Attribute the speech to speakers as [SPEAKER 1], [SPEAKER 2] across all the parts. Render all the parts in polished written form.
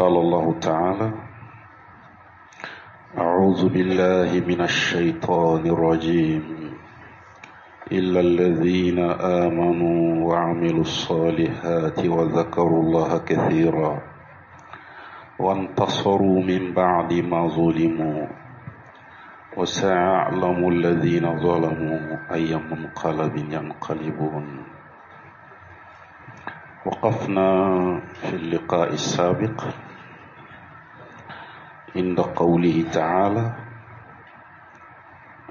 [SPEAKER 1] قال الله تعالى: أعوذ بالله من الشيطان الرجيم، إلا الذين آمنوا وعملوا الصالحات وذكروا الله كثيرا وانتصروا من بعد ما ظلموا وسيعلم الذين ظلموا أي منقلب ينقلبون. وقفنا في اللقاء السابق عند قوله تعالى: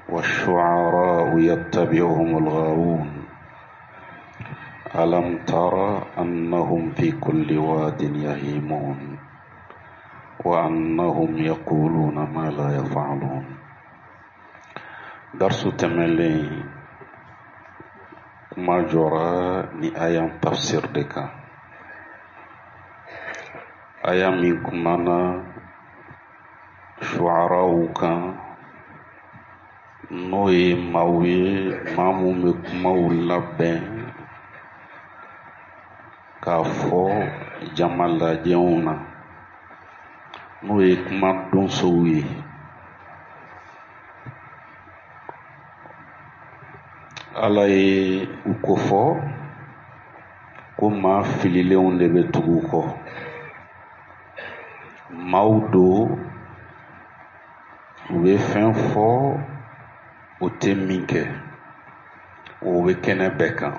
[SPEAKER 1] والشعراء يتبعهم الغاوون ألم تر أنهم في كل واد يهيمون وأنهم يقولون ما لا يفعلون. درس tɛmɛlen kuma jɔra ni aya tafsir de kan, aya min kumana shu'araw kan, n'o ye maaw ye, maa mun bɛ kumaw labɛn k'a fɔ jama lajɛw na, n'o ye kuma donsow ye. Ala ye u kofɔ ko maa fililenw de bɛ tugu u kɔ, maaw don, u bɛ fɛn fɔ u tɛ min kɛ, o bɛ kɛnɛ bɛɛ kan.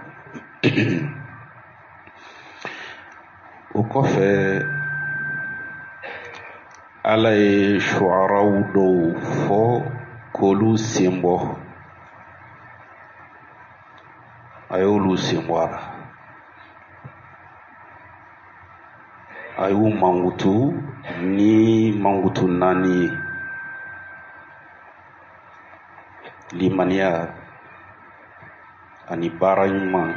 [SPEAKER 1] O kɔfɛ Ala ye shu'araw dɔw fɔ k'olu sen bɔ, a y'olu sen bɔ a la, a y'u mankutu ni mankutu naani ye: limaniya ani baara ɲuman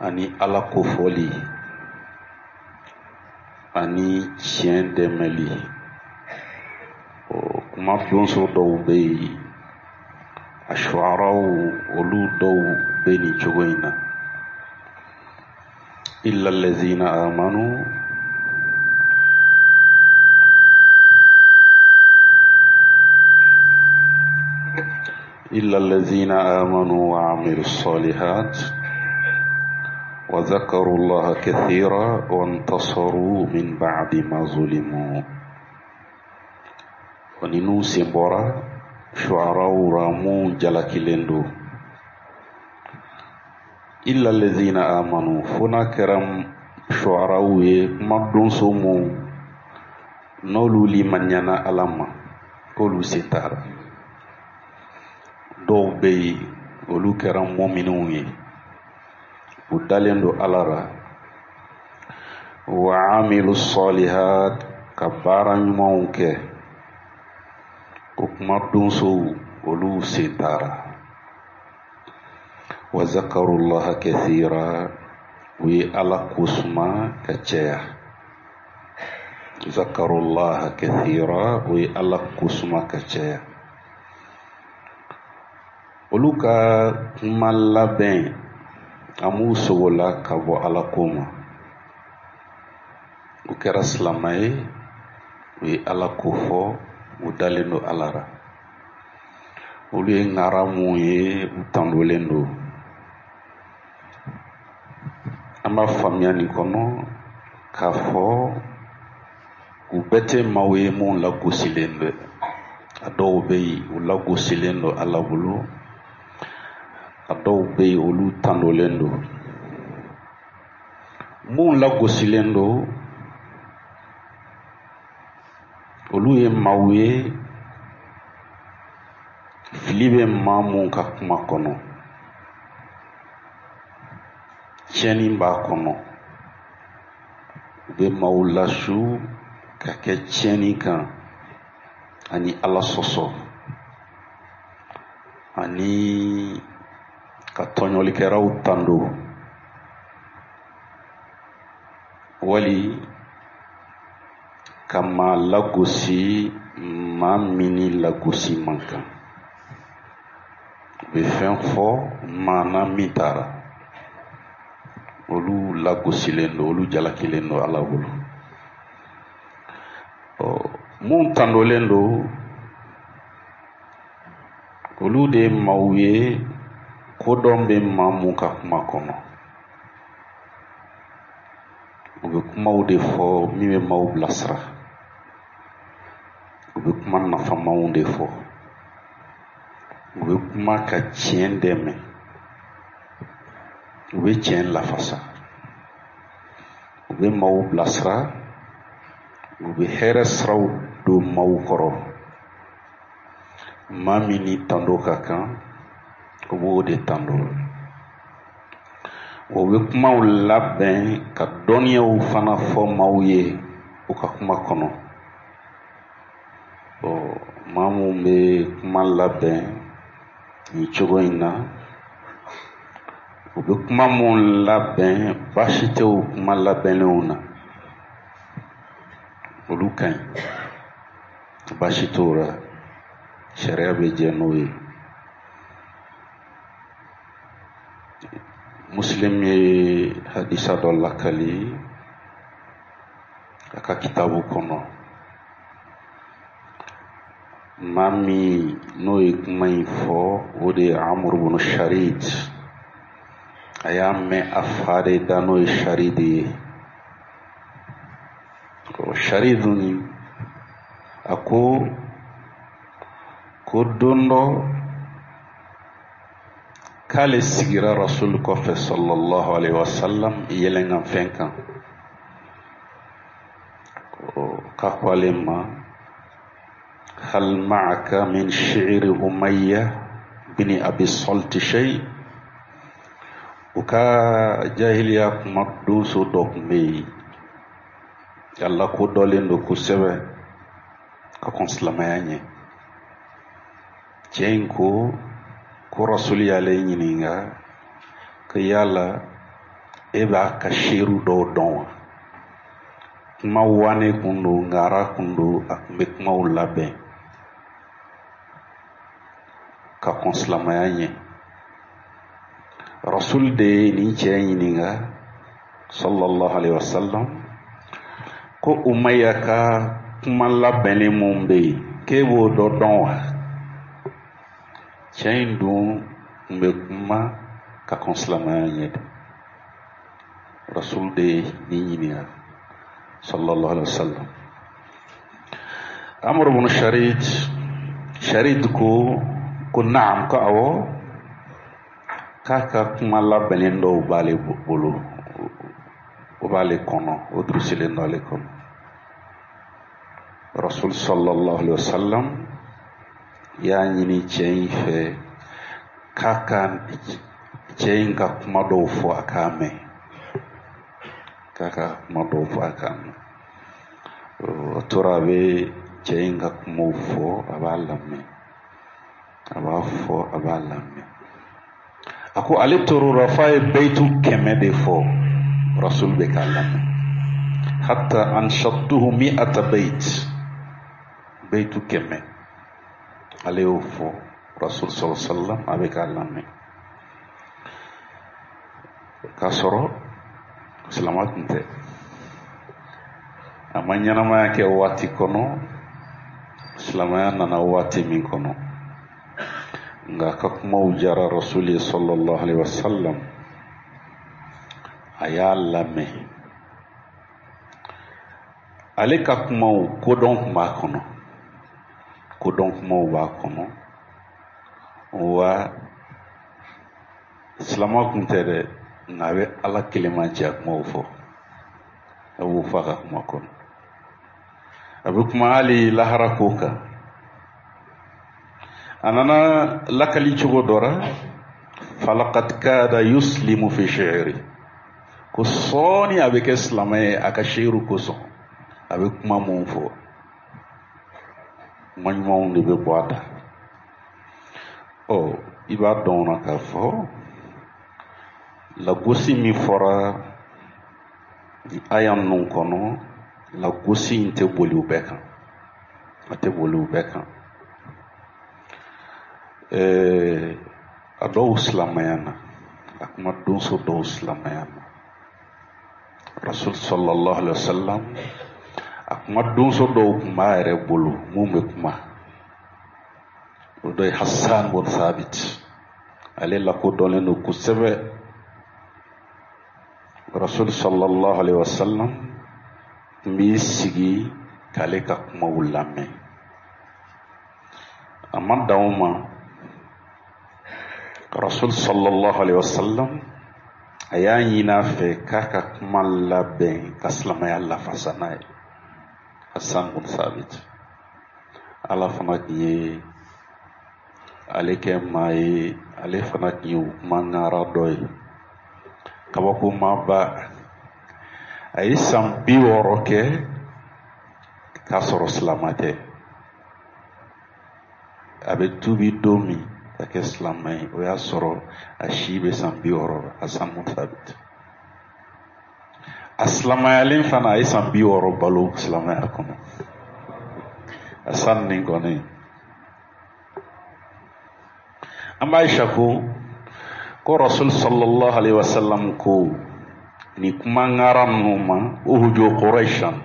[SPEAKER 1] ani Ala kofɔli ani tiɲɛ dɛmɛli. Kuma donso dɔw bɛ yen, a shu'araw, olu dɔw bɛ nin cogo in na: illa allazina amanu إلا الذين آمنوا وعملوا الصالحات وذكروا الله كثيرا وانتصروا من بعد ما ظلموا. Ninnu sen bɔra shu'araw ra mun jalakilen don. Illa allazina amanu, fo n'a kɛra shu'araw ye, kuma donso mun n'olu limaniyana Ala ma, k'olu sen t'a la. Dɔw bɛ yen, olu kɛra mɔminiw ye, u dalen don Ala la, wa amilu salihat, ka baara ɲumanw kɛ, o kuma donsow olu sen t'a la. Wa zakarullaha kathira, u ye Ala kosuma ka caya. Zakarullaha kathira, u ye Ala kosuma ka caya. Olu ka kuma labɛn a m'u sogola ka bɔ Ala ko ma. U kɛra silama ye, u ye Ala ko fɔ, u dalen don Ala la. Olu ye ŋara mun ye, u tandolen don. An b'a faamuya nin kɔnɔ k'a fɔ u bɛɛ tɛ maaw ye mun lagosilen don. A dɔw bɛ yen, u lagosilen don Ala bolo, a dɔw bɛ yen, olu tandolen don. Mun lagosilen don, olu ye maaw ye, fili bɛ maa mun ka kuma kɔnɔ, tiɲɛni b'a kɔnɔ, u bɛ maaw lasu ka kɛ tiɲɛni kan ani Ala sɔsɔ ani ka tɔɲɔlikɛlaw tando, wali ka maa lagosi, maa min ni lagosi man kan. U bɛ fɛn fɔ maa na min taara. Olu lagosilen don, olu jalakilen don Ala bolo. Ɔ, mun tandolen don, olu de ye maaw ye kodɔn bɛ maa mun ka kuma kɔnɔ. U bɛ kumaw de fɔ min bɛ maaw bilasira. U bɛ kuma nafamaw de fɔ. U bɛ kuma ka tiɲɛ dɛmɛ. U bɛ tiɲɛ lafasa. U bɛ maaw bilasira. U bɛ hɛrɛ siraw don maaw kɔrɔ. Maa min ni tando ka kan, u b'o de tando. O bɛ kumaw labɛn ka dɔnniyaw fana fɔ maaw ye u ka kuma kɔnɔ. Ɔ, maa mun bɛ kuma labɛn nin cogo in na, u bɛ kuma mun labɛn, baasi tɛ o kuma labɛnnenw na, olu ka ɲi, baasi t'o la, sariya bɛ jɛ n'o ye. Muslim ye hadisa dɔ lakali a ka kitabu kɔnɔ. Maa min n'o ye kuma in fɔ, o de ye Amr ibn Sharid. A y'a mɛn a fa de da, n'o ye Sharid ye. Sharid nin, a ko ko don dɔ k'ale sigira Rasul kɔfɛ sallallahu alaihi wasallam yɛlɛnkanfɛn kan. K'a ko ale ma: hal ma'aka min shi'ri Umayya bin Abi Salt shay? U ka jahiliya kuma donso dɔ tun bɛ yen, a lakodɔnlen don kosɛbɛ ka kɔn silamɛya ɲɛ. Cɛ in ko ko Rasuli y'ale ɲininka ko yala e b'a ka seeru dɔw dɔn wa? Kuma wane kun don, ngara kun don, a tun bɛ kumaw labɛn ka kɔn silamɛya ɲɛ. Rasul de ye nin cɛ ɲininka sallallahu alaihi wasallam ko Umayya ka kuma labɛnnen mun bɛ yen, k'e b'o dɔ dɔn wa? Cɛ in dun tun bɛ kuma ka kɔn silamɛya ɲɛ de. Rasul de ye nin ɲininka sallallahu alaihi wasallam. Amr ibn Sharid, Sharid ko ko naam, ko awɔ, k'a ka kuma labɛnnen dɔw b'ale bolo, o b'ale kɔnɔ, o durusilen don ale kɔnɔ. Rasul sallallahu alaihi wasallam y'a ɲini cɛ in fɛ k'a ka cɛ in ka kuma dɔw fɔ a k'a mɛn, k'a ka kuma dɔw fɔ a k'a mɛn. A tora a bɛ cɛ in ka kumaw fɔ, a b'a lamɛn, a b'a fɔ, a b'a lamɛn. A ko ale tor'o la f'a ye bayitu 100 de fɔ, Rasul bɛ k'a lamɛn. Hatta anshattuhu mi'ata bayt, bayitu 100 ale y'o fɔ, Rasul sallallahu alaihi wasallam a bɛ k'a lamɛn. K'a sɔrɔ silama tun tɛ, a ma ɲɛnamaya kɛ waati kɔnɔ, silamɛya nana waati min kɔnɔ, nka a ka kumaw jara Rasul ye sallallahu alaihi wasallam, a y'a lamɛn. Ale ka kumaw kodɔn tun b'a kɔnɔ, kodɔn kumaw b'a kɔnɔ, wa silama tun tɛ dɛ, nka a bɛ Ala kelenmanciya kumaw fɔ, a b'o fɔ a ka kuma kɔnɔ. A bɛ kuma hali lahara ko kan. A nana lakali cogo dɔ la, falaqad kada yuslimu fi shi'ri, ko sɔɔni a bɛ kɛ silamɛ ye a ka seeru kosɔn. A bɛ kuma mun fɔ, kuma ɲumanw de bɛ bɔ a da. Ɔ, i b'a dɔn na k'a fɔ lagosi min fɔra aya ninnu kɔnɔ, lagosi in tɛ boli u bɛɛ kan, a tɛ boli u bɛɛ kan. A dɔw silamɛya na, a kuma donso dɔw silamɛya na. Rasul sallallahu alaihi wasallam, a kuma donso dɔw tun b'a yɛrɛ bolo mun bɛ kuma. O dɔ ye Hassan bun Thabit, ale lakodɔnlen don kosɛbɛ. Rasul sallallahu alaihi wasallam tun b'i sigi k'ale ka kumaw lamɛn. A ma dan o ma, Rasul sallallahu alaihi wasallam a y'a ɲini a fɛ k'a ka kuma labɛn ka silamɛya lafasa n'a ye. Hassan bun Thabit, Ala fana tun ye ale kɛ maa ye, ale fana tun ye kuma ŋara dɔ ye, kabakomaba. A ye san 60 kɛ k'a sɔrɔ silama tɛ. A bɛ tuubi don min ka kɛ silama ye, o y'a sɔrɔ a si bɛ san 60 la. Hassan bun Thabit, a silamayalen fana, a ye san 60 balo silamaya kɔnɔ. Hassan nin kɔni, an b'a Aisha ko Rasul sallallahu alaihi wasallam ko ni kuma ŋara ninnu ma, uhuju Quraishan,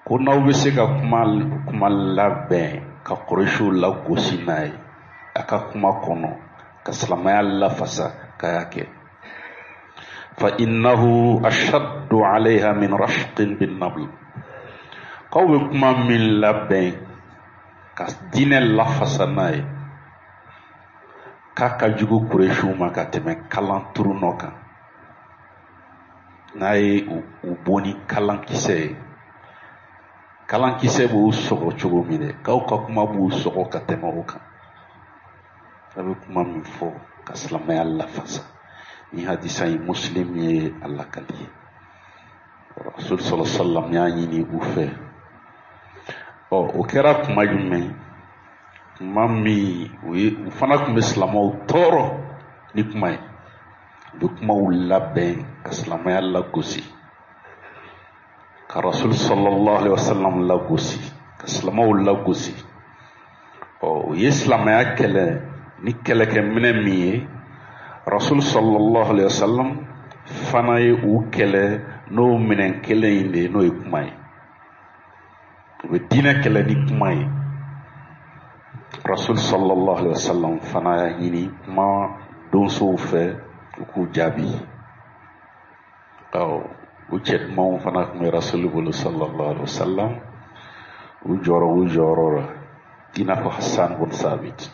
[SPEAKER 1] ko n'aw bɛ se ka kuma labɛn ka Quraishiw lagosi n'a ye a ka kuma kɔnɔ, ka silamɛya lafasa, k'a y'a kɛ. Fa innahu ashaddu alayha min rashqin bin nabl. K'aw bɛ kuma min labɛn ka diinɛ lafasa n'a ye, k'a ka jugu Quraishiw ma ka tɛmɛ kalan turunɔ kan. N'a ye u bon ni kalankisɛ ye, kalankisɛ b'u sɔgɔ cogo min dɛ, k'aw ka kuma b'u sɔgɔ ka tɛmɛ o kan. A bɛ kuma min fɔ ka silamɛya lafasa, ni hadisa in, Muslim ye a lakali ye. Rasul sallallahu alaihi wasallam y'a ɲini u fɛ. Ɔ, o kɛra kuma jumɛn? Kuma min u ye, u fana tun bɛ silamɛw tɔɔrɔ ni kuma ye. U bɛ kumaw labɛn ka silamɛya lagosi, ka Rasul sallallahu alaihi wasallam lagosi, ka silamɛw lagosi. Ɔ, u ye silamɛya kɛlɛ ni kɛlɛkɛminɛ min ye, Rasul sallallahu alaihi wasallam fana ye u kɛlɛ n'o minɛn kelen in de ye, n'o ye kuma ye. U bɛ diinɛ kɛlɛ ni kuma ye. Rasul sallallahu alaihi wasallam fana y'a ɲini kuma donsow fɛ u k'u jaabi. Ɔ, u cɛ dumanw fana tun bɛ Rasul bolo sallallahu alaihi wasallam, u jɔrɔ u jɔyɔrɔ la, i n'a fɔ Hassan bun Sabit.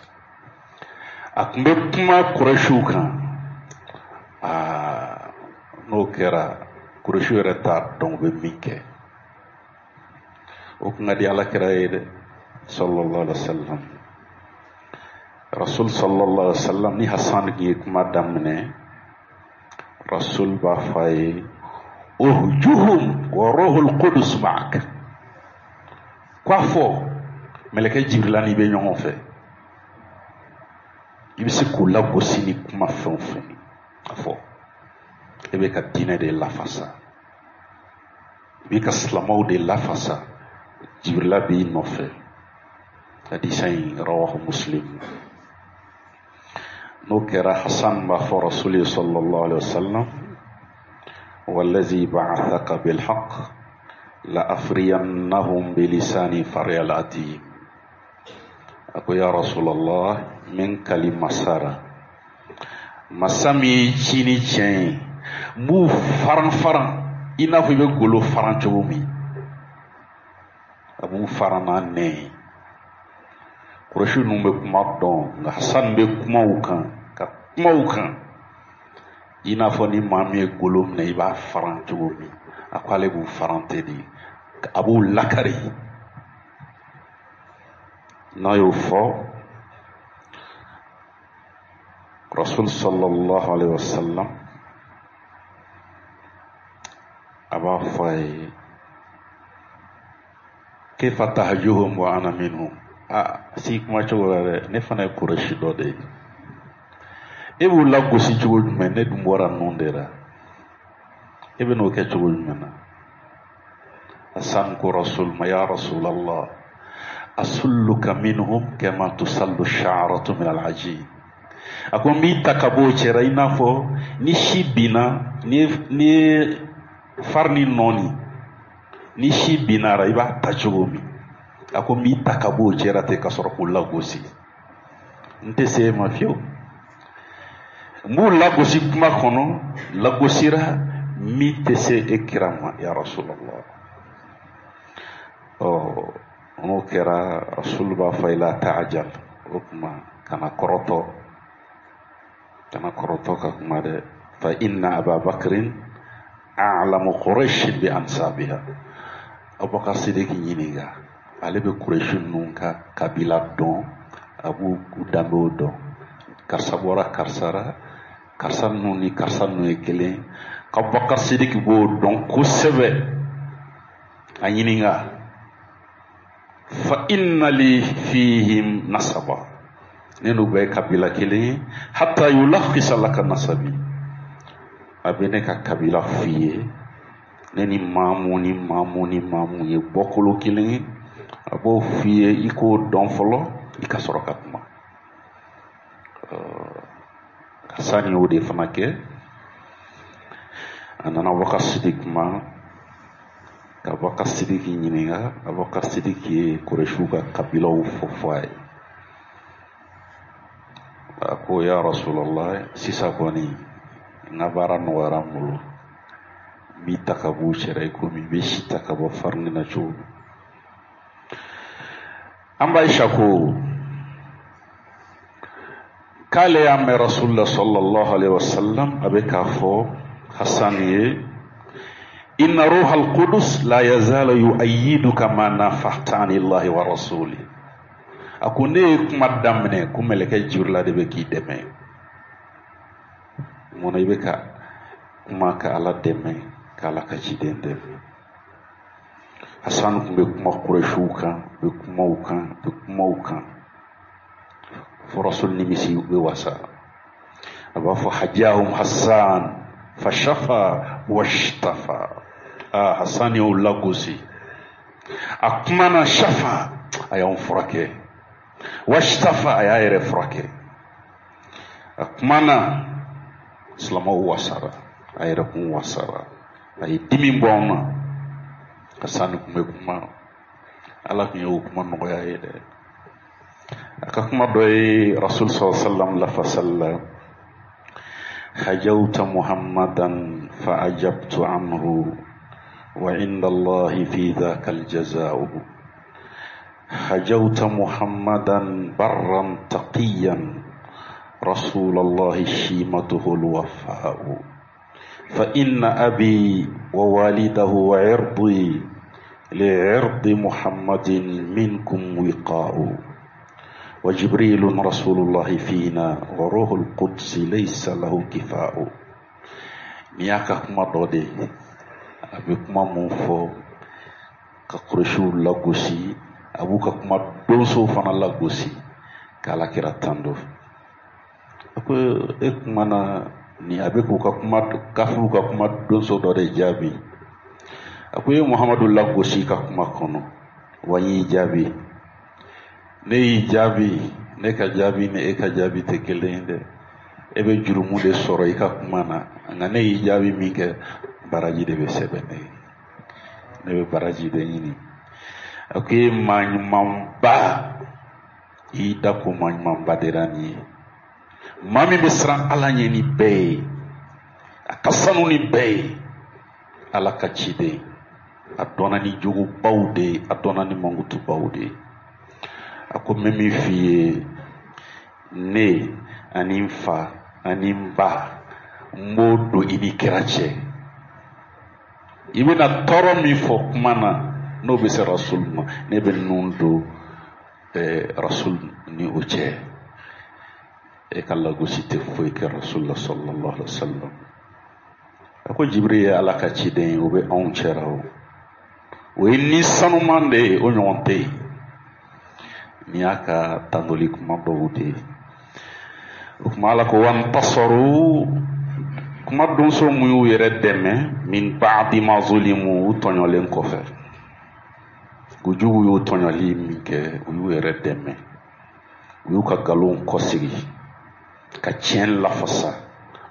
[SPEAKER 1] A tun bɛ kuma Kurɛsiw kan. Aa, n'o kɛra, Kurɛsiw yɛrɛ t'a dɔn u bɛ min kɛ. O kun ka di Ala kira ye dɛ, sallallahu alaihi wasallam. Rasul sallallahu alaihi wasallam ni Hassan tun ye kuma daminɛ, Rasul b'a fɔ a ye: uhjuhum wa ruhul qudus ma'ak. K'a fɔ mɛlɛkɛ Jibirila n'i bɛ ɲɔgɔn fɛ, i bɛ se k'u lagosi ni kuma fɛn o fɛn ye. A fɔ e bɛ ka diinɛ de lafasa, i bɛ ka silamɛw de lafasa, Jibirila b'i nɔfɛ. Hadisa in, rawahu Muslim. N'o kɛra, Hassan b'a fɔ Rasul ye sallallahu alaihi wasallam: wallazi ba'athaka bilhaq la afriyannahum bilisani faryal adim. A ko: ya Rasulallah, min kali masara, masa min y'i ci ni tiɲɛ ye, n b'u faran faran i n'a fɔ i bɛ golo faran cogo min. A b'u faran n'a nɛn ye. Kurɛsi ninnu bɛ kuma dɔn, nka Hassan bɛ kuma u kan, ka kuma u kan i n'a fɔ ni maa min ye golo minɛ, i b'a faran cogo min. A ko ale b'u faran ten de, a b'u lakari. N'a y'o fɔ, Rasul sallallahu alaihi wasallam a b'a fɔ a ye: kayfa tahjuhum wa ana minhum. A si kuma cogo la dɛ, ne fana ye Kurɛsi dɔ de ye, e b'u lagosi cogo jumɛn? Ne dun bɔra ninnu de la, e bɛ n'o kɛ cogo jumɛn na? Hassan ko Rasul ma: ya Rasulallah, asulluka minhum kama tusallu sha'ratu min al-ajin. A ko n b'i ta ka bɔ o cɛra i n'a fɔ ni si binna, ni ye Farini nɔɔni ni si binna a ra, i b'a ta cogo min, a ko n b'i ta ka bɔ o cɛra ten ka sɔrɔ k'u lagosi. N tɛ se e ma fiyewu. N b'u lagosi kuma kɔnɔ, lagosira min tɛ se e kira ma, ya Rasulallah. Ɔ n'o kɛra, Rasul b'a fɔ i la taajal, o tuma kana kɔrɔtɔ, kana kɔrɔtɔ ka kuma dɛ. Fa inna Ababakrin a'lamu Quraish bi ansabiha. Abubakar Sidiki ɲininka, ale bɛ Quraish ninnu ka kabila dɔn, a b'u danbew dɔn. Karisa bɔra karisa ra, karisa ninnu ni karisa ninnu ye kelen. Abubakar Sidiki b'o dɔn kosɛbɛ. A ɲininka, fa inna li fihim nasaba, ne n'u bɛɛ ye kabila kelen ye. Hatta yulakhisa laka nasabi, a bɛ ne ka kabila f'i ye, ne ni maa mun ni maa mun ni maa mun ye bɔkolo kelen ye, a b'o f'i ye, i k'o dɔn fɔlɔ, i ka sɔrɔ ka kuma. Hasani y'o de fana kɛ. A nana Abubakar Sidiki ma ka Abubakar Sidiki ɲininka. Abubakar Sidiki ye Kuresiw ka kabilaw fɔ fɔ a ye. A ko ya Rasulallah, sisan kɔni n ka baara nɔgɔyara n bolo, n b'i ta ka b'u cɛra i komi i bɛ si ta ka bɔ farini na cogo min. An ba Aisha ko k'ale y'a mɛn Rasulullah sallallahu alaihi wasallam a bɛ k'a fɔ Hasan ye: inna ruha al-qudus la yazalu yu'ayyiduka ma nafahta anillahi wa rasuli. A ko ne ye kuma daminɛ ko mɛlɛkɛ Jibrila de bɛ k'i dɛmɛ. Mun na i bɛ ka kuma ka Ala dɛmɛ, ka Ala ka ciden dɛmɛ? Hasan tun bɛ kuma Kuresiw kan, bɛ kuma u kan, bɛ kuma u kan, fo Rasul nimisi bɛ wasa. A b'a fɔ hajahum Hasan fashafa washtafa. Aa, Hasan y'o lagosi, a kumana, shafa, a y'anw furakɛ, washtafa, a y'a yɛrɛ furakɛ. A kumana, silamɛw wasara, a yɛrɛ kun wasara, a ye dimi bɔ anw na. Hasan tun bɛ kuma, Ala tun y'o kuma nɔgɔya ye dɛ. A ka kuma dɔ ye Rasul sallallahu alaihi wasallam lafasali la: hajawta Muhammadan fa ajabtu anhu wa inda Allahi fi dhaka aljaza'u. Hajawta Muhammadan barran taqiyan rasulallahi shimatuhu alwafa'u. Fa inna abi wa walidahu wa irdi li'irdi Muhammadin minkum wiqa'u. Wa Jibrilun rasulullahi fina wa ruhul qudsi laysa lahu kifa'u. Nin y'a ka kuma dɔ de ye. A bɛ kuma mun fɔ ka Kuresiw lagosi, a b'u ka kuma donsow fana lagosi k'Ala kira tando. A ko e kumana ni a bɛ k'u ka kuma kafiriw ka kuma donso dɔ de jaabi. A ko e ye Muhamadu lagosi ka kuma kɔnɔ, wa n y'i jaabi. Ne y'i jaabi, ne ka jaabi ni e ka jaabi tɛ kelen ye dɛ. E bɛ jurumu de sɔrɔ i ka kuma na, nka ne y'i jaabi min kɛ, baraji de bɛ sɛbɛn ne ye. Ne bɛ baraji de ɲini. A ko e ye maa ɲumanba, i y'i da ko maa ɲumanba de la nin ye. Maa min bɛ siran Ala ɲɛ ni bɛɛ ye, a ka sanu ni bɛɛ ye, Ala ka ciden, a dɔnna ni jogobaw de ye, a dɔnna ni mankutubaw de ye. A ko n bɛ min f'i ye, ne ani n fa ani n ba, n b'o don i ni kira cɛ. I bɛna tɔɔrɔ min fɔ kuma na, n'o bɛ se Rasul ma, ne bɛ nun don Rasul ni o cɛ. E ka lagosi tɛ foyi kɛ Rasul la sallallahu alaihi wa sallam. A ko Jibiri ye Ala ka ciden ye, o bɛ anw cɛra o. O ye ni sanuman de ye, o ɲɔgɔn tɛ yen. Nin y'a ka tandoli kuma dɔw de ye. O kuma Ala ko wantasaru, kuma donso mun y'u yɛrɛ dɛmɛ, min ba'di ma zulimu, u tɔɲɔlen kɔfɛ. U jugu y'u tɔɲɔli min kɛ, u y'u yɛrɛ dɛmɛ. U y'u ka nkalonw kɔsegi ka tiɲɛ lafasa.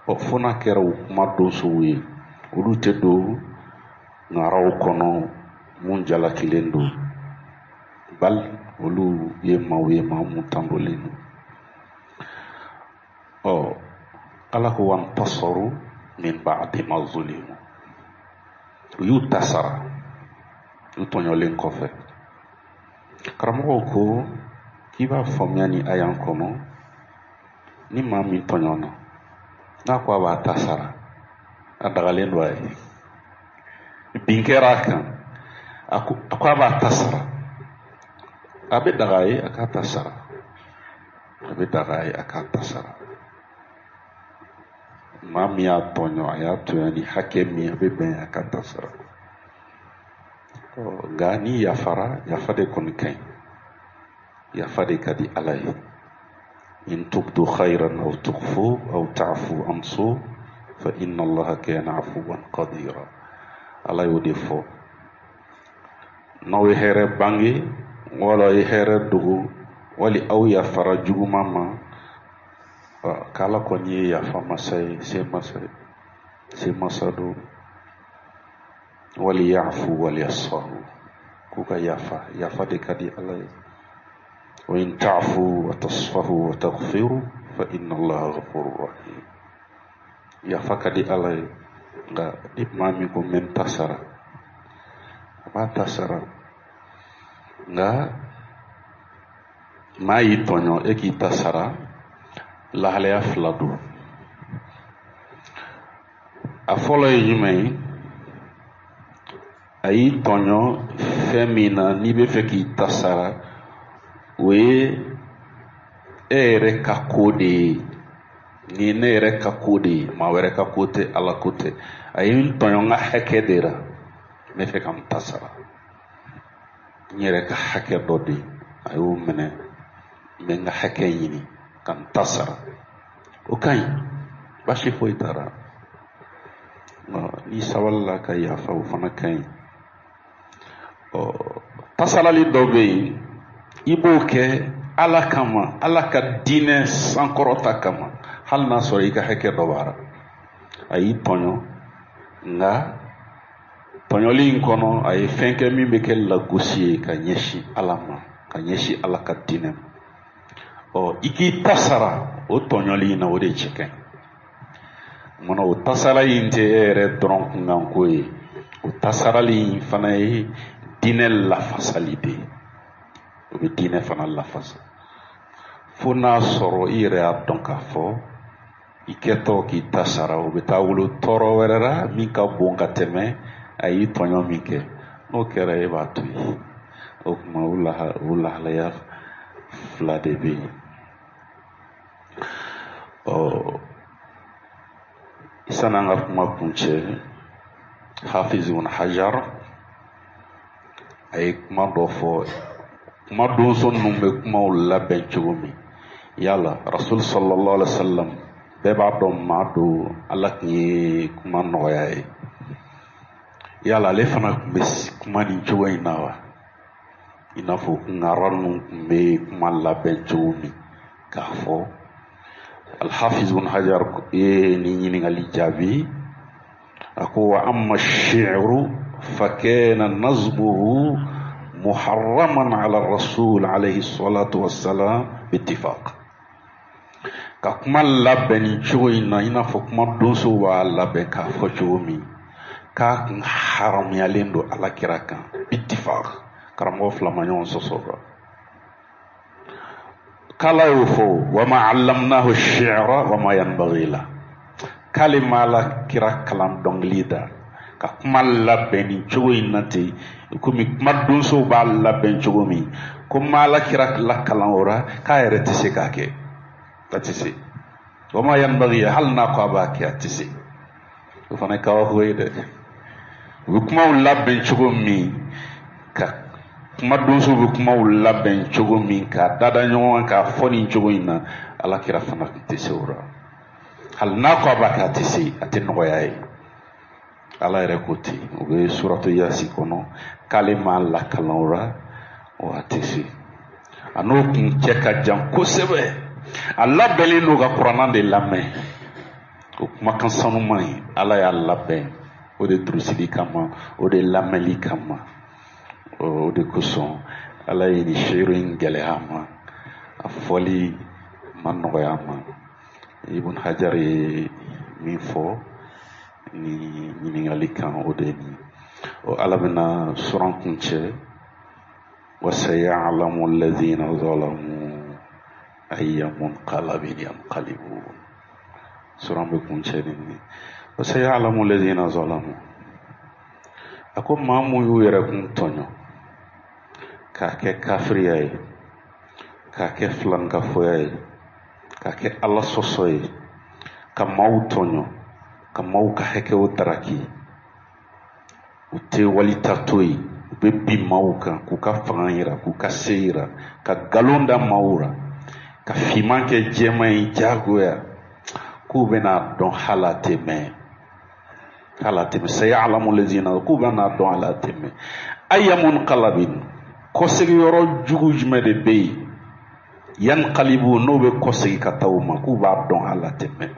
[SPEAKER 1] Ɔ fo n'a kɛra u kuma donsow ye, olu tɛ don. ŋaraw kɔnɔ mun jalakilen don, bal olu ye maaw ye, maa mun tandolen don. Ɔ, Ala ko wantasaru min ba'di ma zulimu, u y'u ta sara u tɔɲɔlen kɔfɛ. Karamɔgɔw ko k'i b'a faamuya ni aya kɔnɔ, ni maa min tɔɲɔna, n'a ko a b'a ta sara, a dagalen don a ye. Bin kɛra a kan, a ko a b'a ta sara, a bɛ daga a ye a k'a ta sara, a bɛ daga a ye a k'a ta sara. Maa min y'a tɔɲɔ, a y'a tɔɲɔ ni hakɛ min, a bɛ bɛn a k'a ta sara. Nka n'i yafara, yafa de kɔni ka ɲi, yafa de ka di Ala ye. In tubdu khayran aw tukhfu aw ta'fu an su fa inna Allaha kana afuwan qadira. Ala y'o de fɔ, n'aw ye hɛrɛ bange wala aw ye hɛrɛ dogo wali aw yafara juguman ma, k'Ala kɔni ye yafa masa ye, se masa ye, se masa don. Wali yafu wali yasfahu, k'u ka yafa, yafa de ka di Ala ye. Wa in ta'fu wa tasfahu wa taghfiru fa inna Allaha ghafurur rahim. Yafa ka di Ala ye, nka ni maa min ko n bɛ n ta sara, a b'a ta sara. Nka maa y'i tɔɲɔ, e k'i ta sara, lahalaya fila don. A fɔlɔ ye jumɛn ye? A y'i tɔɲɔ fɛn min na, n'i bɛ fɛ k'i ta sara, o ye e yɛrɛ ka ko de ye. Nin ye ne yɛrɛ ka ko de ye, maa wɛrɛ ka ko tɛ, Ala ko tɛ. A ye n tɔɲɔ n ka hakɛ de la, n bɛ fɛ ka n ta sara. N yɛrɛ ka hakɛ dɔ de, a y'o minɛ, n bɛ n ka hakɛ ɲini ka n ta sara. O ka ɲi, baasi foyi t'a la. N'i sabalila ka yafa, o fana ka ɲi. Ɔ, tasarali dɔ bɛ yen, i b'o kɛ Ala kama, Ala ka diinɛ sankɔrɔta kama, hali n'a sɔrɔ i ka hakɛ dɔ b'a la. A y'i tɔɲɔ, nka tɔɲɔli in kɔnɔ a ye fɛn kɛ min bɛ kɛ lagosi ye ka ɲɛsin Ala ma, ka ɲɛsin Ala ka diinɛ ma. Ɔ, i k'i ta sara o tɔɲɔli in na, o de cɛ ka ɲi. Munna o tasara in tɛ e yɛrɛ dɔrɔn kunkanko ye? O tasarali in fana ye diinɛ lafasali de ye, o bɛ diinɛ fana lafasa. Fo n'a sɔrɔ i yɛrɛ y'a dɔn k'a fɔ i kɛtɔ k'i ta sara, o bɛ taa wolo tɔɔrɔ wɛrɛ la min ka bon ka tɛmɛ a y'i tɔɲɔ min kɛ. N'o kɛra, e b'a to yen. O tuma o lahalaya fila de bɛ yen. Ɔ, sanni an ka kuma kuncɛ, Hafiz ibn Hajar a ye kuma dɔ fɔ. Kuma donso ninnu bɛ kumaw labɛn cogo min, yala Rasul sallallahu alaihi wa sallam, bɛɛ b'a dɔn maa don, Ala tun ye kuma nɔgɔya ye. Yala ale fana tun bɛ kuma nin cogo in na wa, i n'a fɔ ŋara ninnu tun bɛ kuma labɛn cogo min k'a fɔ? Alhafiz ibn Hajar ye nin ɲininkali jaabi. A ko wa amma shi'ru fa kana nazmuhu muharraman ala rasul alayhi salatu wassalam bittifaq. Ka kuma labɛn nin cogo in na, i n'a fɔ kuma donsow b'a labɛn k'a fɔ cogo min, k'a kun haramuyalen don Ala kira kan bittifaq, karamɔgɔ fila ma ɲɔgɔn sɔsɔ kan. K'Ala y'o fɔ, wa ma allamnahu shi'ra wa ma yanbaghi la, k'ale ma Ala kira kalan dɔnkili da ka kuma labɛn nin cogo in na ten, komi kuma donsow b'a labɛn cogo min, ko ma Ala kira lakalan o la, k'a yɛrɛ tɛ se k'a kɛ, a tɛ se. Wa ma yanbaghi, hali n'a ko a b'a kɛ, a tɛ se. O fana ye kabako ye dɛ. U bɛ kumaw labɛn cogo min, ka kuma donsow bɛ kumaw labɛn cogo min k'a dada ɲɔgɔn kan k'a fɔ nin cogo in na, Ala kira fana tun tɛ se o la. Hali n'a ko a b'a kɛ, a tɛ se, a tɛ nɔgɔya ye. Ala yɛrɛ ko ten, o bɛ suratu Yasi kɔnɔ, k'ale m'a lakalan o la, wa a tɛ se. A n'o kun cɛ ka jan kosɛbɛ. A labɛnnen don ka kuranna de lamɛn, o kumakan sanuman ye, Ala y'a labɛn. O de durusili kama, o de lamɛnli kama, o de kosɔn Ala ye nin seere in gɛlɛya a ma, a fɔli ma nɔgɔya a ma. Ibn Hajar ye min fɔ ni ɲininkali kan, o de ye nin. O Ala bɛna suran kuncɛ: wa sayalamu alladhina zalamu ayya munqalabin yanqalibun. Suran bɛ kuncɛ ni nin: wa sayalamu alladhina zalamu. A ko maa mun y'u yɛrɛ kun tɔɲɔ k'a kɛ kafiriya ye, k'a kɛ filankafoya ye, k'a kɛ Ala sɔsɔ ye, ka maaw tɔɲɔ, ka maaw ka hakɛw daraki, u tɛ walita to yen, u bɛ bin maaw kan k'u ka fanga yira, k'u ka se yira, ka nkalon da maaw la, ka finman kɛ jɛman ye diyagoya, k'u bɛna dɔn hali a tɛ mɛn, hali a tɛ mɛn. Sayalamu lazina, k'u bɛna dɔn hali a tɛ mɛn. Ayya munqalabin, kɔsegiyɔrɔ jugu jumɛn de bɛ yen, yanqalibu, n'o bɛ kɔsegi ka taa u ma, k'u b'a dɔn hali a tɛ mɛn.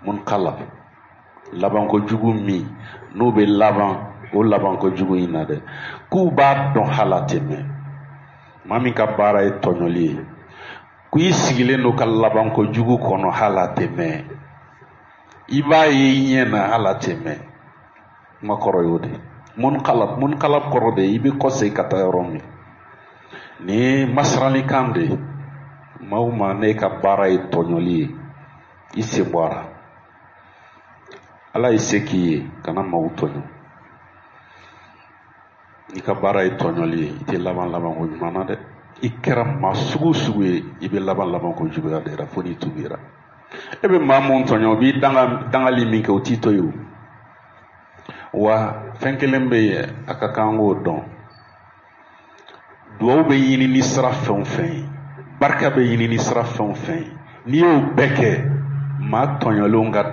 [SPEAKER 1] Munqalab, labanko jugu min n'o bɛ laban o labanko jugu in na dɛ, k'u b'a dɔn hali a tɛ mɛn. Maa min ka baara ye tɔɲɔli ye, ko i sigilen don ka labanko jugu kɔnɔ hali a tɛ mɛn, i b'a ye i ɲɛ na hali a tɛ mɛn. Kuma kɔrɔ y'o de ye. Munqalab, munqalab kɔrɔ de ye i bɛ kɔsegin ka taa yɔrɔ min. Nin ye masiralikan de ye. Maa o maa n'e ka baara ye tɔɲɔli ye, i sen bɔ a la. Ala ye se k'i ye, kana maaw tɔɲɔ. N'i ka baara ye tɔɲɔli ye, i tɛ laban labanko ɲuman na dɛ. I kɛra maa sugu o sugu ye, i bɛ laban labanko juguya de la fo n'i tubira. E bɛ maa mun tɔɲɔ, o b'i dangali min kɛ, o t'i to yen o. Wa fɛn kelen bɛ yen, a ka kan k'o dɔn. Duwawu bɛ ɲini ni sira fɛn o fɛn ye, barika bɛ ɲini ni sira fɛn o fɛn ye, n'i y'o bɛɛ kɛ, maa tɔɲɔlenw ka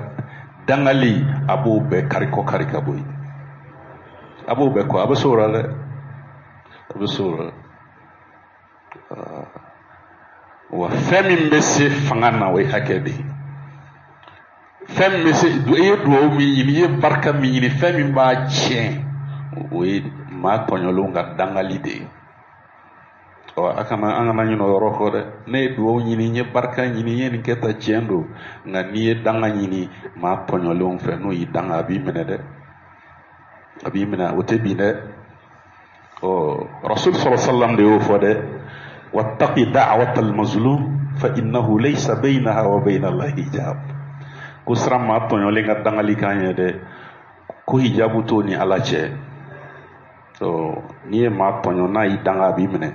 [SPEAKER 1] dangali, a b'o bɛɛ kari kɔ kari ka bɔ yen, a b'o bɛɛ kɔ, a bɛ s'o la dɛ, a bɛ s'o la. Wa fɛn min bɛ se fanga na, o ye hakɛ de ye. Fɛn min bɛ se, i ye duwawu min ɲini, i ye barika min ɲini, fɛn min b'a tiɲɛ, o ye maa tɔɲɔlenw ka dangali de ye. Ɔ, a kana, an kana ɲinɛ o yɔrɔ kɔ dɛ. Ne ye duwawu ɲini, n ye barika ɲini, n ye nin kɛ tan, tiɲɛ don, nka n'i ye danga ɲini maa tɔɲɔlenw fɛ, n'o y'i danga, a b'i minɛ dɛ, a b'i minɛ, o tɛ bin dɛ. Ɔ, Rasul sallallahu alaihi wasallam de y'o fɔ dɛ: wattaqi da'wata al-mazlum fa innahu laysa baynaha wa bayna Allahi hijab. Ko siran maa tɔɲɔlen ka dangali kan ɲɛ dɛ, ko hijabu t'o ni Ala cɛ. Ɔ, n'i ye maa tɔɲɔ, n'a y'i danga, a b'i minɛ,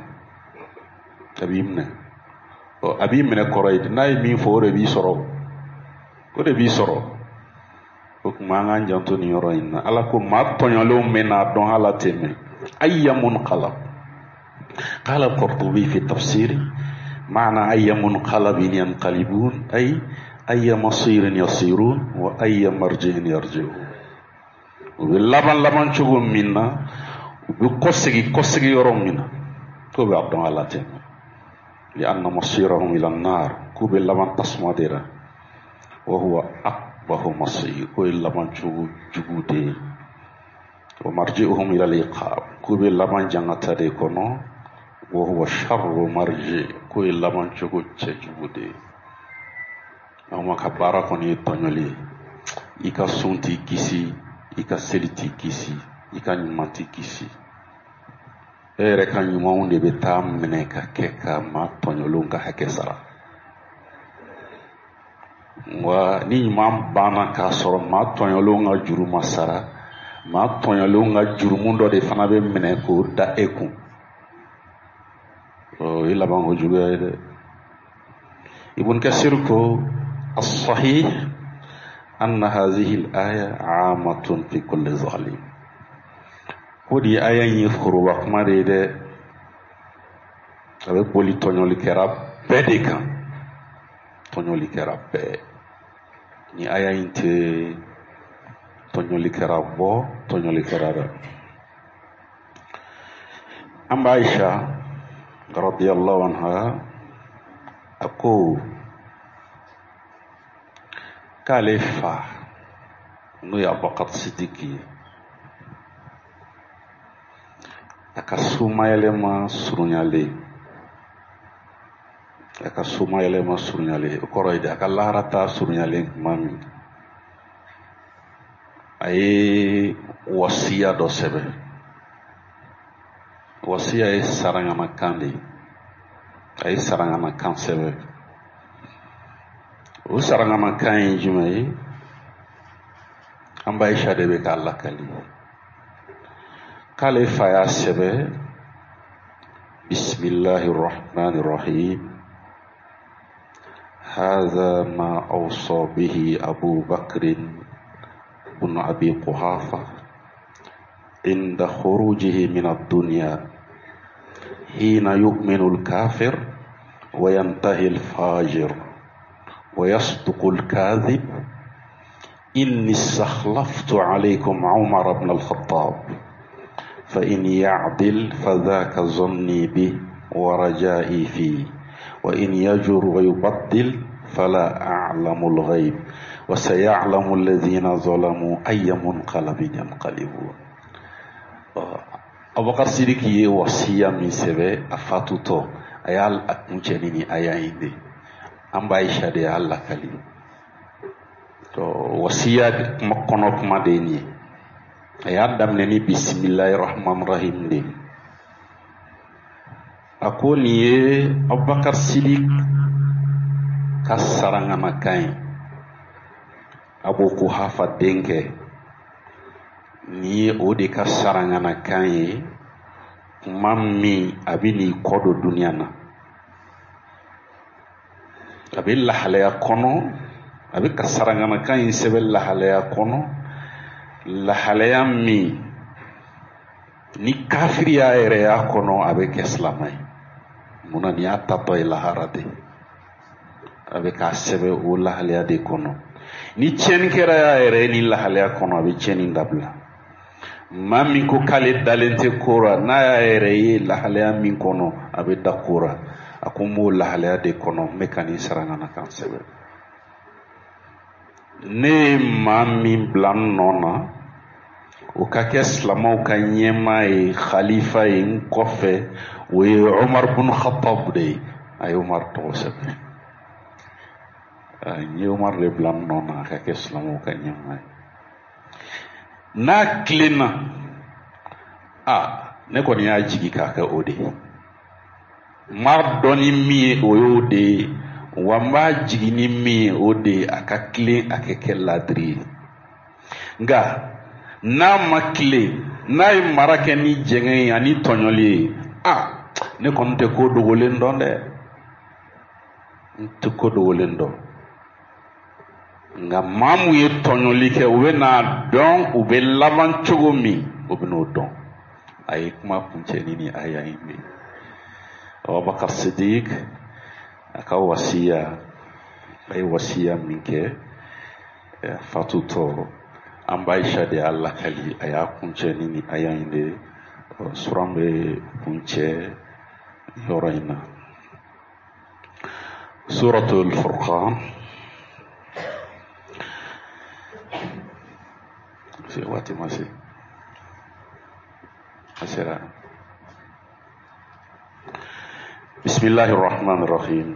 [SPEAKER 1] a b'i minɛ. Ɔ, a b'i minɛ kɔrɔ ye, n'a ye min fɔ, o de b'i sɔrɔ, o de b'i sɔrɔ. O tuma an k'an janto nin yɔrɔ in na. Ala ko maa tɔɲɔlenw bɛ n'a dɔn hali a tɛ mɛn. Ayya munqalab. قال القرطبي في تفسيره: معنى أي منقلب ينقلبون، أي أي مصير يصيرون وأي مرجع يرجعون. U bɛ laban laban cogo min na, u bɛ kɔsegi kɔsegi yɔrɔ min na, k'o b'a dɔn ala tɛ mɛn. لأن مصيرهم إلى النار، k'u bɛ laban tasuma de la. وهو أقبح مصير، k'o ye laban cogo jugu de ye. ومرجعهم إلى العقاب، k'u bɛ laban jangata de kɔnɔ. وهو شر مرجع، k'o ye laban cogo cɛjugu de ye. Aw ma ka baara kɔni ye tɔɲɔli ye, i ka sun t'i kisi, i ka seli t'i kisi, i ka ɲuman t'i kisi. E yɛrɛ ka ɲumanw de bɛ taa minɛ ka kɛ ka maa tɔɲɔlenw ka hakɛ sara. Wa ni ɲuman banna k'a sɔrɔ maa tɔɲɔlenw ka juru ma sara, maa tɔɲɔlenw ka jurumu dɔ de fana bɛ minɛ k'o da e kun. O ye labanko juguya ye dɛ. Ibn Kasir ko: الصحيح أن هذه الآية عامة في كل ظالم. Ko di aya in ye foroba kuma de ye dɛ, a bɛ boli tɔɲɔlikɛla bɛɛ de kan, tɔɲɔlikɛla bɛɛ. Ni aya in tɛ tɔɲɔlikɛla bɔ tɔɲɔlikɛla la. An ba Aisha radiyallahu anha, a ko k'ale fa N'o ye Abubakar Sidiki ye. A ka somayɛlɛma surunyalen, a ka somayɛlɛma surunyalen, o kɔrɔ ye di, a ka laharata surunyalen tuma min, a ye wasiya dɔ sɛbɛn. Wasiya ye saranganakan de ye. A ye saranganakan sɛbɛn. O saranganakan ye jumɛn ye? An ba Ayisa de bɛ k'a lakali k'ale fa y'a sɛbɛn: bisimilahi rahmani rahim, هذا ما أوصى به أبو بكر بن أبي قحافة عند خروجه من الدنيا حين يؤمن الكافر وينتهي الفاجر ويصدق الكاذب، إني استخلفت عليكم عمر بن الخطاب، فإن يعدل فذاك ظني به ورجائي فيه، وإن يجر ويبدل فلا أعلم الغيب، وسيعلم الذين ظلموا أي منقلب ينقلبون. Abubakar Sidiki ye wasiya min sɛbɛn a fatutɔ, a y'a kuncɛ ni nin aya in de. An ba Ayisa de y'a lakali. To wasiya kuma kɔnɔ kuma de ye nin ye. A y'a daminɛ ni bisimilahi rahman rahim de. A ko nin ye Abubakar Sidik ka saranganakan ye, Abu Kuhafa denkɛ. Nin ye o de ka saranganakan ye kuma min a bɛ n'i kɔ don duniya na, a bɛ lahalaya kɔnɔ, a bɛ ka saranganakan in sɛbɛn lahalaya kɔnɔ, lahalaya min ni kafiri y'a yɛrɛ y'a kɔnɔ, a bɛ kɛ silamɛ ye. Munna? Nin y'a tatɔ ye lahara de, a bɛ k'a sɛbɛn o lahalaya de kɔnɔ. Ni tiɲɛni kɛra y'a yɛrɛ ye nin lahalaya kɔnɔ, a bɛ tiɲɛni dabila. Maa min ko k'ale dalen tɛ ko ra, n'a y'a yɛrɛ ye lahalaya min kɔnɔ, a bɛ da ko ra. A ko n b'o lahalaya de kɔnɔ, n bɛ ka nin saranganakan sɛbɛn. Ne ye maa min bila n nɔ na, o ka kɛ silamɛw ka ɲɛmaa ye, khalifa ye n kɔfɛ, o ye Umar bin Khattab de ye. A ye Umar tɔgɔ sɛbɛn. N ye Umar de bila n nɔ na a ka kɛ silamɛw ka ɲɛmaa ye. N'a tilenna, a ne kɔni y'a jigi k'a kɛ o de ye. N b'a dɔn ni min ye, o y'o de ye wa. N b'a jigi ni min ye, o de ye, a ka tilen, a ka kɛ ladiri ye. Nka n'a ma tilen, n'a ye mara kɛ ni jɛngɛ ye ani tɔɲɔli ye, a ne kɔni tɛ ko dogolen dɔn dɛ, n tɛ ko dogolen dɔn. Nka maa mun ye tɔɲɔli kɛ, u bɛ n'a dɔn u bɛ laban cogo min, o bɛ n'o dɔn. A ye kuma kuncɛ ni nin aya in de ye. Abubakar Sidik a ka wasiya, a ye wasiya min kɛ fatutɔ, an ba Ayisa de y'a lakali, a y'a kuncɛ ni nin aya in de ye. Suran bɛ kuncɛ yɔrɔ in na. Suratul Furqan, se waati ma se, a sera. بسم الله الرحمن الرحيم.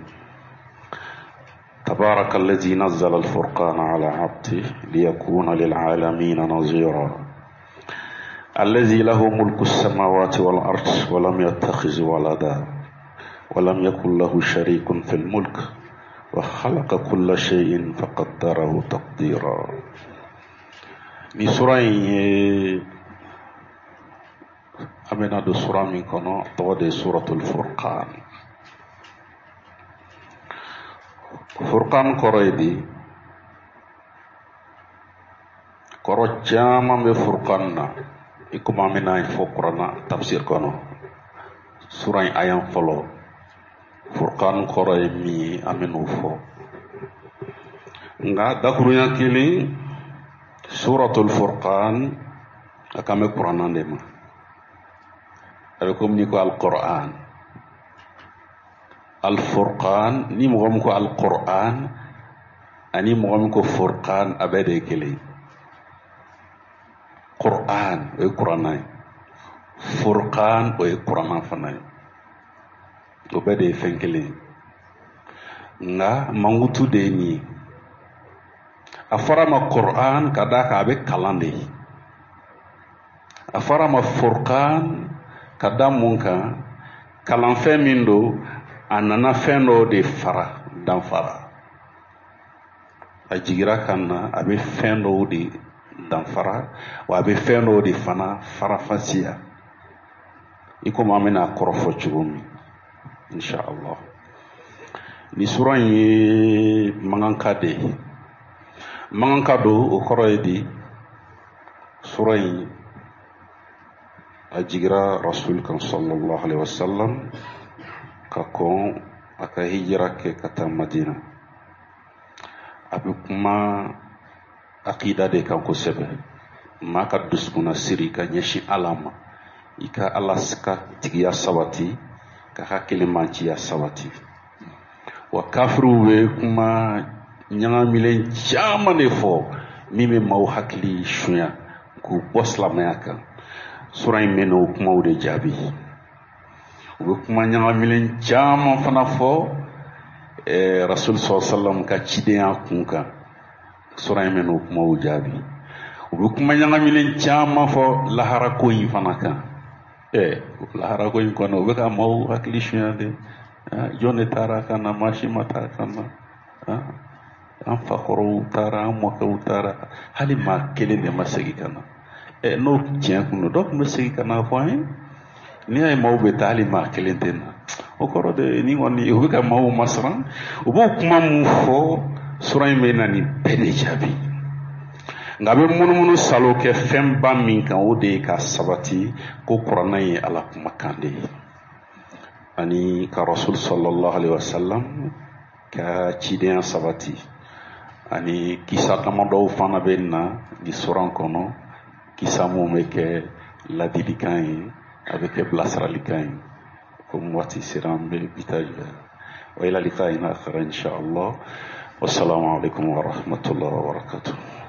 [SPEAKER 1] تبارك الذي نزل الفرقان على عبده ليكون للعالمين نظيرا، الذي له ملك السماوات والأرض ولم يتخذ ولدا ولم يكن له شريك في الملك وخلق كل شيء فقدره تقديرا. Ni sura in ye, an bɛna don sura min kɔnɔ, tɔgɔ de ye Suratul Furqan. Furqan kɔrɔ ye di? Kɔrɔ caman bɛ Furqan na, i komi an bɛna fɔ kuranna tafsir kɔnɔ. Sura in ayan fɔlɔ, Furqan kɔrɔ ye min ye, an bɛn'o fɔ. Nka dakurunya kelen, Suratul Furqan a kan bɛ kuranna de ma. A bɛ komi n'i ko Alquran, Alfurqan. Ni mɔgɔ min ko Alquran ani mɔgɔ min ko Furqan, a bɛɛ de ye kelen ye. Qur'an o ye kuranna ye, Furqan o ye kuranna fana ye, o bɛɛ de ye fɛn kelen ye, nka mankutu de ye nin ye. A fɔra a ma Qur'an ka d'a kan a bɛ kalan de ye. A fɔra a ma Furqan ka da mun kan? Kalanfɛn min don, a nana fɛn dɔw de fara danfara. A jigira ka na, a bɛ fɛn dɔw de danfara, wa a bɛ fɛn dɔw de fana farafasiya, i komi an bɛna a kɔrɔfɔ cogo min, inshallah. Ni sura in ye mankanka de ye, mankanka don, o kɔrɔ ye di? Sura in a jigira rasul kan sallallahu alaihi wasallam ka kɔn a ka hijira kɛ ka taa Madina. A bɛ kuma akida de kan kosɛbɛ, maa ka dusukunna siri ka ɲɛsin Ala ma, i ka Ala ka tigiya sabati, k'a ka kelenbanciya sabati. Wa kafiriw bɛ kuma ɲagamilen caman de fɔ min bɛ maaw hakili sunya k'u bɔ silamɛya kan. Sura in bɛ n'o kumaw de jaabi. U bɛ kuma ɲagamilen caman fana fɔ rasul sallallahu alaihi wasallam ka cidenya kun kan. Sura in bɛ n'o kumaw jaabi. U bɛ kuma ɲagamilen caman fɔ laharako in fana kan. Laharako in kɔnɔ, u bɛ ka maaw hakili sunya de. Jɔn de taara ka na? Maa si ma taa ka na. An fakɔrɔw taara, an mɔkɛw taara, hali maa kelen de ma segin ka na. N'o tiɲɛ kun don, dɔ tun bɛ segin ka na fɔ an ye. N'i y'a ye maaw bɛ taa, hali maa kelen tɛ na, o kɔrɔ de ni kɔni u bɛ ka maaw masiran. U b'o kuma mun fɔ, sura in bɛ na nin bɛɛ de jaabi. Nka a bɛ munumunu salo kɛ fɛnba min kan, o de ye ka sabati ko kuranna ye Ala kumakan de ye, ani ka rasul sallallahu alaihi wasallam ka cidenya sabati, ani kisa damadɔw fana bɛ na ni suran kɔnɔ, kisa mun bɛ kɛ ladilikan ye, a bɛ kɛ bilasiralikan ye. Komi waati sera, an bɛ bi ta jɔ. Wa ila liqa'in akhar insha Allah. Wassalamu alaikum wa rahmatullahi wa barakatuh.